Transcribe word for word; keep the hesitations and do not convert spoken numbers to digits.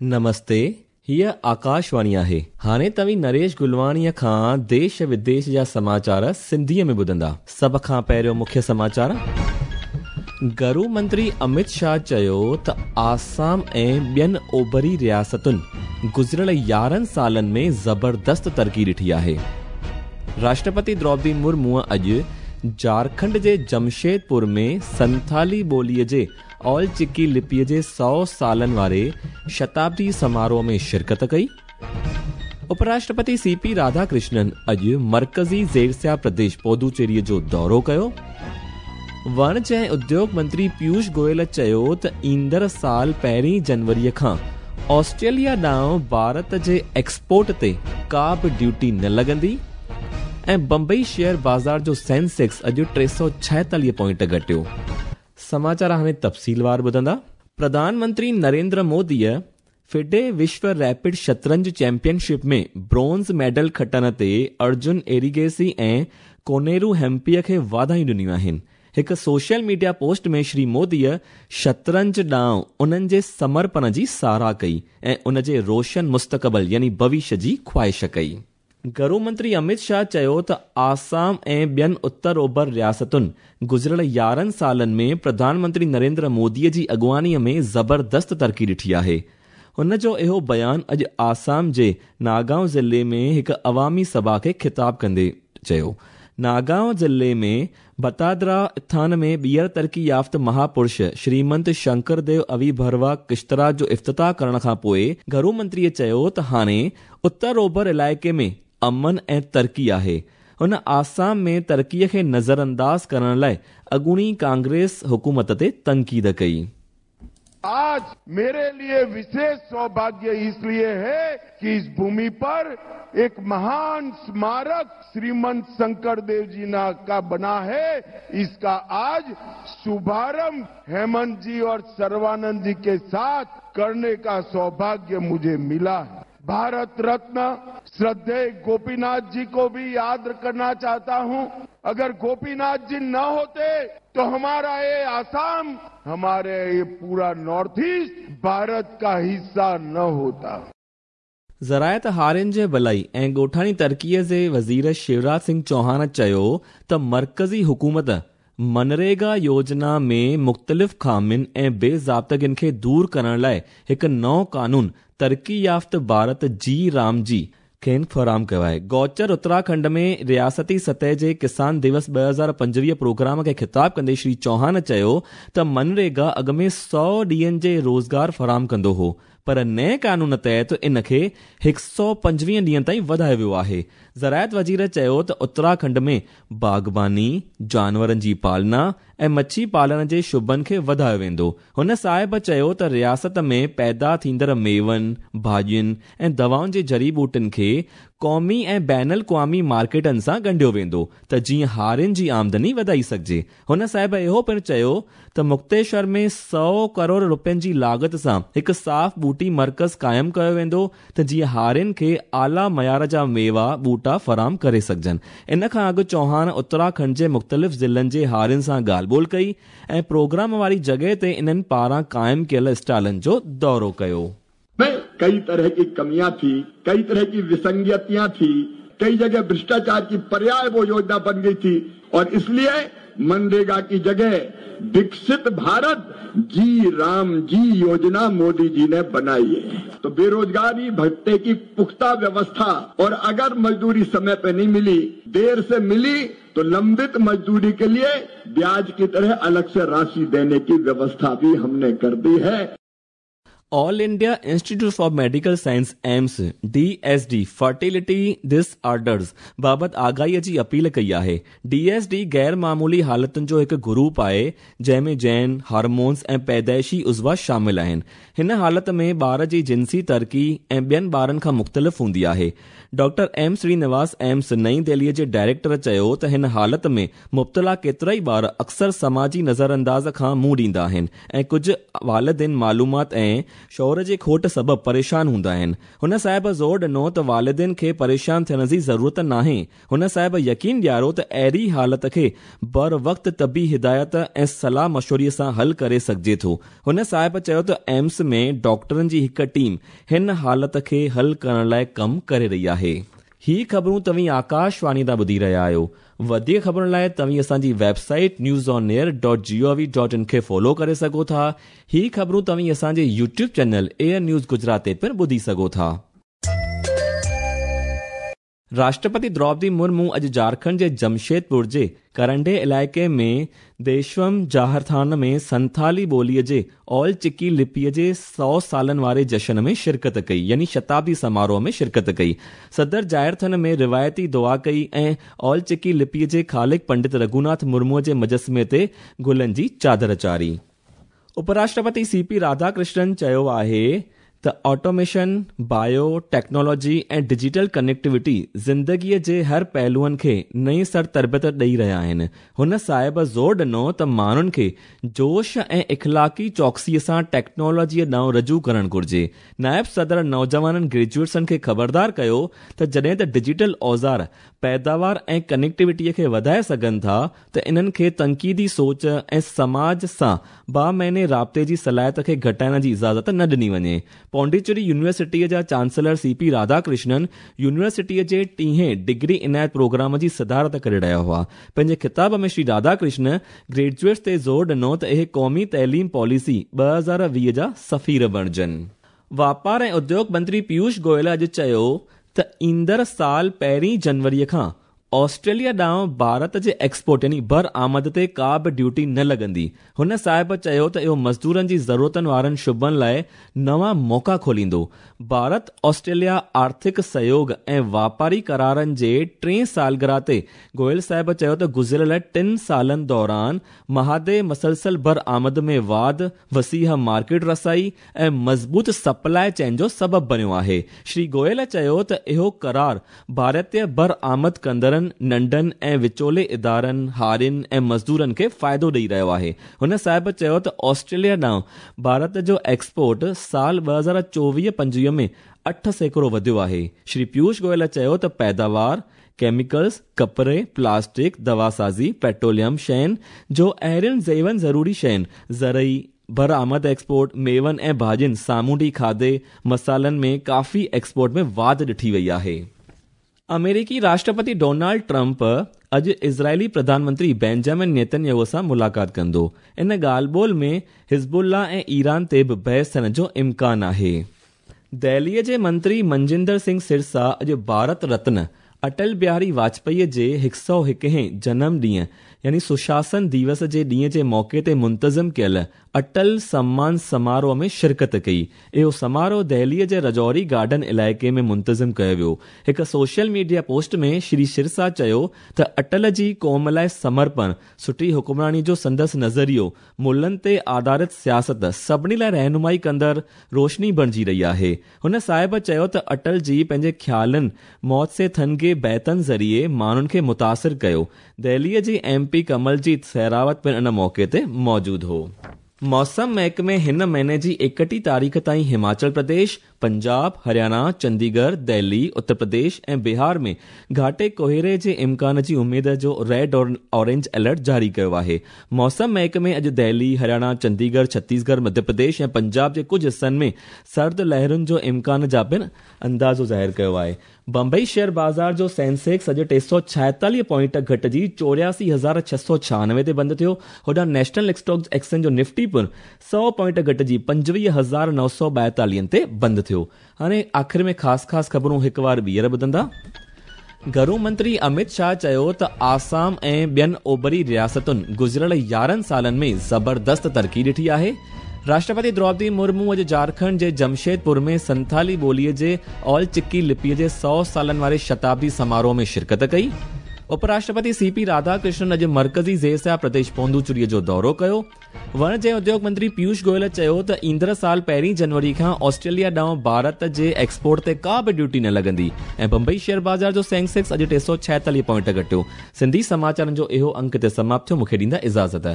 نمستي، هيءَ آڪاشواڻي آهي. هاڻي توهين نريش گلواڻيءَ کان ديش وديش جا سماچار سنڌيءَ ۾ ٻڌندا. سڀ کان پهريون مکيه سماچار. گهرو منتري امت شاهه چيو ته آسام ۽ ٻين اوڀري رياستن گذريل يارهن سالن ۾ زبردست ترقي ڏٺي آهي. راشٽرپتي دروپدي مرموءَ اڄ جهارکنڊ جي جمشيدپور ۾ سنٿالي ٻوليءَ جي آل چڪي لپيءَ جي سؤ سالن واري شتابدي سماروهه ۾ شرڪت ڪئي. اپراشٽرپتي سي پي راڌاڪرشنن اڄ مرڪزي زيرسيا پرديش پدوچيريءَ جو دورو ڪيو. وڻج ۽ اديوگ منتري پيوش گويل چيو ته ايندڙ سال پهرين جنوريءَ کان آسٽريليا ڏانهن ڀارت جي ايڪسپورٽ تي ڪا به ڊيوٽي نه لڳندي. ۽ بمبئي شيئر بازار جو سينسيڪس اڄ ٽي سؤ ڇائيتاليهه پوائنٽ گهٽيو. سماچار هاڻي تفصيلوار ٻڌندا. پرڌان منتري نريندر موديءَ فڊي وشو ريپڊ شطرنج چيمپيئن شپ ۾ برونز ميڊل کٽڻ تي ارجن ايريگيسي ۽ ڪونيرو هيمپيءَ کي واڌايون ڏنيون آهن. هڪ سوشل ميڊيا پوسٽ ۾ شري موديءَ شطرنج ڏانهن انهن جي سمرپڻ جي ساراهه ڪئي ۽ ان جي روشن مستقبل يعني ڀوشيه جي خواهش ڪئي. گهرو منتري امت شاهه چيو ته آسام ۽ ٻين اتر اوڀر رياستن گذريل يارهن سالن ۾ پرڌان منتري نريندر موديءَ جي اڳواڻيءَ ۾ زبردست ترقي ڏٺي آهي. هن جو اهو بيان اڄ آسام جي ناگائون ضلعي ۾ هڪ عوامي سڀا کي خطاب ڪندي چيو. ناگائون ضلعي ۾ بتادرا اٿان ۾ ٻيهر ترقي يافته مهاپرش شريمنت شنڪر ديو اويڀروا ڪشترا جو افتتاح ڪرڻ کان پوءِ گهرو منتريءَ چيو ته هاڻي اتر اوڀر علائقي ۾ امن ۽ ترقي آهي. هن آسام ۾ ترقيءَ کي نظرانداز ڪرڻ لاءِ اڳوڻي ڪانگريس حڪومت تي تنقيد ڪئي. आज मेरे लिए विशेष सौभाग्य इसलिए है कि इस भूमि पर एक महान स्मारक श्रीमंत शंकर देव जी का बना है. इसका आज शुभारंभ हेमंत जी और सर्वानंद जी के साथ करने का सौभाग्य मुझे मिला है. भारत रत्न श्रद्धेय गोपीनाथ जी को भी याद करना चाहता हूं. अगर गोपीनाथ जी न होते तो हमारा ये आसाम, हमारे ये पूरा नॉर्थ ईस्ट भारत का हिस्सा न होता. ज़रायत हारियुनि जे भलाई ऐं ॻोठाणी तरक़ीअ जे वज़ीर शिवराज सिंह चौहान चयो त मर्कज़ी हुकूमत मनरेगा योजना में मुख़्तलिफ़ ख़ामियुनि ऐं बेज़ाब्तगियुनि खे दूर करण लाइ हिकु नओं कानून तरक़ी याफ़्त भारत जी राम जी खेनि फराहम कयो आहे. गौचर उत्तराखंड में रियासती सतह जे किसान दिवस ٻه هزار پنجويهه प्रोग्राम खे ख़िताब कंदे श्री चौहान चयो त मनरेगा अॻु में सौ ॾींहनि जे रोज़गार फराहम कंदो हो, पर नए कानून तहत इन खे हिकु सौ पंजवीह ॾींहनि ताईं वधायो वियो आहे. ज़रायत वज़ीर चयो त उत्तराखंड में बाग़बानी, जानवरनि जी पालना ऐं मच्छी पालण जे शुबनि खे वधायो वेंदो. हुन साहिब चयो त रियासत में पैदा थींदड़ मेवनि, भाॼियुनि ऐं दवाउनि जे जड़ी ॿूटियुनि खे क़ौमी ऐं बैनुल अक़वामी मार्केटनि सां ॻंढियो वेंदो त जीअं हारियुनि जी आमदनी वधाई सघिजे. हुन साहिब इहो पिणु चयो त मुक्तेश्वर में सौ करोड़ रुपयनि जी लागत सां हिकु साफ़ ॿूटी मर्कज़ क़ाइमु कयो वेंदो त जीअं हारियुनि खे आला मयार जा मेवा ॿूटा फराहम करे सघिजनि. इन खां अॻु चौहान उत्तराखंड जे मुख़्तलिफ़ ज़िलनि जे हारियुनि सां ॻाल्हि ॿोल कई ऐं प्रोग्राम वारी जॻह ते इन्हनि पारां क़ाइमु कयल स्टॉलनि जो दौरो कयो. में कई तरह की कमियां थी, कई तरह की विसंगतियां थी, कई जगह भ्रष्टाचार की पर्याय वो योजना बन गई थी और इसलिए मनरेगा की जगह विकसित भारत जी राम जी योजना मोदी जी ने बनाई है. तो बेरोजगारी भत्ते की पुख्ता व्यवस्था और अगर मजदूरी समय पे नहीं मिली, देर से मिली तो लंबित मजदूरी के लिए ब्याज की तरह अलग से राशि देने की व्यवस्था भी हमने कर दी है. All India Institute for Medical Science AIIMS D S D fertility disorders बाबति आगाहीअ जी अपील कई आहे. डी एस डी गैर मामूली हालतुनि जो हिकु ग्रुप आहे जंहिं में जैन, हार्मोन्स ऐं पैदाइशी उज़वा शामिल आहिनि. हिन हालत में ॿार जी जिनसी तरक़ी ऐं ॿियनि ॿारनि खां मुख़्तलिफ़ हूंदी आहे. डॉक्टर एम श्रीनिवास एम्स नई दिल्लीअ जे डायरेक्टर चयो त हिन हालत में मुब्तला केतिरा ई ॿार अक्सर समाजी नज़रअंदाज़ खां मुंहुं ॾींदा आहिनि ऐं कुझु वालिदिन मालूमात ऐं شعور جي کوٽ سبب پريشان هوندا آهن. هن صاحب زور ڏنو ته والدين کي پريشان ٿيڻ جي ضرورت ناهي. هن صاحب يقين ڏياريو ته اهڙي حالت کي بر وقت طبي هدايت ۽ صلاح مشوري سان حل ڪري سگهجي ٿو. هن صاحب چيو ته ايمس ۾ ڊاڪٽرن جي هڪ ٽيم هن حالت کي حل ڪرڻ لاءِ ڪم ڪري رهي آهي. هي خبرون توهين آڪاشواڻي تان ٻڌي رهيا آهيو. وڌيڪ خبرن لاءِ توهين اسان جي website news on air dot G O V dot in کي فالو ڪري سگهو ٿا. هي خبرون توهين اسان جي YouTube channel Air News Gujarat تي پڻ ٻڌي سگهو ٿا. راشٽرپتي درौپدي مرمو اڄ جهارکنڊ جي جمشيدپور جي ڪرنڊي علائقي ۾ ديشوم جاهرٿان ۾ سنٿالي ٻوليءَ جي اول چڪي لپيءَ جي سؤ سالن واري جشن ۾ شرڪت ڪئي، يعني شتابدي سماروهه ۾ شرڪت ڪئي. صدر جاهرٿن ۾ روايتي دعا ڪئي ۽ اول چڪي لپيءَ جي خالق پنڊت رگهوناٿ مرموءَ جي مجسمي تي گلن جي چادر چاڙهي. اپراشٽرپتي سي پي راڌاڪرشنن چيو آهي ته automation, bio technology ۽ digital connectivity زندگيءَ جي هر پهلوئن کي نئين سر تربيت ڏيئي رهيا آهن. هن صاحب زور ڏنو ته ماڻهن کي جوش ۽ اخلاقي چوڪسيءَ سان ٽيڪنالاجيءَ ڏانهن رجوع ڪرڻ گهرجي. نائب صدر نوجوانن گريجوئيٽسن کي خبردار ڪيو ته جڏهن ته ڊجيٽل اوزار پيداوار ۽ ڪنيڪٽيوٽيءَ کي وڌائي سگهن ٿا ته انهن کي تنقيدي سوچ ۽ سماج سان بامعني رابطي جي صلاحيت کي گهٽائڻ جي اجازت نه ڏني وڃي. پانڊيچيري يونيورسٽيءَ جا چانسلر سي پي راڌاڪرشنن يونيورسٽيءَ جي ٽيهين ڊگري عنايت پروگرام جي صدارت ڪري رهيا هئا. پنهنجي خطاب ۾ شري راڌاڪرشن گريجوئيٽس تي زور ڏنو ته اهي قومي تعليم پاليسي ٻه هزار ويهه جا سفير بڻجن. واپار ۽ اديوگ منتري پيوش گويل اڄ چيو ته ايندڙ سال پهرين جنوريءَ کان آسٽريليا ڏانهن ڀارت جي ايڪسپورٽ يعني برآمد تي ڪا به ڊيوٽي نه لڳندي. هن صاحب چيو ته اهو مزدورن جي ضرورتن وارن شعبن لاءِ نوان موقعا کوليندو. ڀارت آسٽريليا آرٿڪ سهيوگ ۽ واپاري قرارن جي ٽئين سالگرهه تي گويل صاحب چيو ته گذريل ٽن سالن دوران مهادي مسلسل برآمد ۾ واڌ، وسيع مارڪيٽ رسائي ۽ مضبوط سپلائي چين جو سبب بڻيو آهي. شري گويل چيو ته اهو قرار ڀارتيه برآمد ڪندڙن، ننڍن ۽ وچولي ادارن، هارين ۽ مزدورن کي فائدو ڏيئي رهيو آهي. هن صاحب چيو ته آسٽريليا ڏانهن ڀارت جو ايڪسپورٽ سال ٻه هزار چوويهه پنجويهه ۾ اٺ سيڪڙو وڌيو آهي. شري پيوش گويل چيو ته پيداوار، ڪيميڪلز، ڪپڙي، پلاسٽڪ، دواسازي، پيٽروليم شين جو اهڙين زيون ضروري شين، زرعي برآمد ايڪسپورٽ، ميون ۽ ڀاڄين، سامونڊي کاڌي، مصالحن ۾ ڪافي ايڪسپورٽ ۾ واڌ ڏٺي وئي آهي. آمريڪي راشٽرپتي ڊونالڊ ٽرمپ اڄ اسرائيلي پرڌان منتري بينجامن نيتنياهو سان ملاقات ڪندو. ان ڳالهه ٻولهه ۾ حزب الله ۽ ايران تي به بحث ٿيڻ جو امڪان آهي. دهليءَ جي منتري منجندر سنگهه سرسا اڄ ڀارت رتن اٽل بهاري واجپائيءَ جي هڪ سؤ هڪهين جنم ڏينهن يعني سشاسن دوس جي ڏينهن جي موقعي تي منتظم ڪيل اٽل سمان سماروهه ۾ شرڪت ڪئي. اهو سماروهه دهليءَ جي رجوري گارڊن علائقي ۾ منتظم ڪيو ويو. هڪ social media post ۾ Shri Sirsa چيو ته اٽل جي قوم لاءِ سمرپڻ، سٺي حڪمراني جو سندس نظريو، ملن تي آڌارت سياست سڀني لاءِ رهنمائي ڪندڙ روشني بڻجي رهي آهي. هن صاحب چيو ته اٽل جي پنهنجي خيالن، موت سي ٿنگي بيتن ذريعي ماڻهن کي متاثر ڪيو. دهليءَ جي ايم پي ڪملجيت سهراوت پڻ ان موقعي تي موجود هو. موسم محڪمي هن مهيني جي ايڪٽيهه تاريخ تائين هماچل پرديش، پنجاب، هرياڻا، چنديڳڙهه، دهلي، اتر پرديش ۽ بهار ۾ گهاٽي ڪوهيڙي جي امڪان جي اميد جو ريڊ اورينج الرٽ جاري ڪيو آهي. موسم محڪمي اڄ دهلي، هرياڻا، چنديڳڙهه، ڇتيسڳڙهه، مڌيه پرديش ۽ پنجاب جي ڪجهه حصن ۾ سرد لهرن جو امڪان جا پڻ اندازو ظاهر ڪيو آهي. بمبئي شيئر بازار جو سينسيڪس اڄ ٽي سؤ ڇائيتاليهه پوائنٽ گهٽجي چوراسي هزار ڇهه سؤ ڇهانوي تي بند ٿيو. هوڏانهن نيشنل اسٽاڪ ايڪسچينج جو نفٽي پڻ سؤ پوائنٽ گهٽجي پنجويهه هزار نو سؤ ٻائيتاليهن تي بند ٿيو. هاڻي آخر ۾ خاص خاص خبرون هڪ وار ٻيهر ٻڌندا. گهرو منتري امت شاهه چيو ته آسام ۽ ٻين اوڀري رياستن گذريل يارهن سالن ۾ زبردست ترقي ڏٺي آهي. راشٽرپتي درौپدي مرمو اڄ جهارکنڊ جي جمشيدپور ۾ سنٿالي ٻوليءَ جي اول چڪي لپيءَ جي سؤ سالن واري شتابدي سماروهه ۾ شرڪت ڪئي. اپراشٽرپتي سي پي راڌاڪرشنن اڄ مرڪزي زير پرديش پوندوچيريءَ جو دورو ڪيو. وڻج ۽ اديوگ منتري پيوش گويل چيو ته ايندڙ سال پهرين جنوري کان آسٽريليا ڏانهن ڀارت جي ايڪسپورٽ تي ڪا به ڊيوٽي نه لڳندي. ۽ بمبئي شيئر بازار جو سينسيڪس اڄ ٽي سؤ ڇائيتاليهه پوائنٽ گهٽيو. سنڌي سماچارن جو اهو انڪ تي سماپت ٿيو. مون کي ڏيندا اجازت.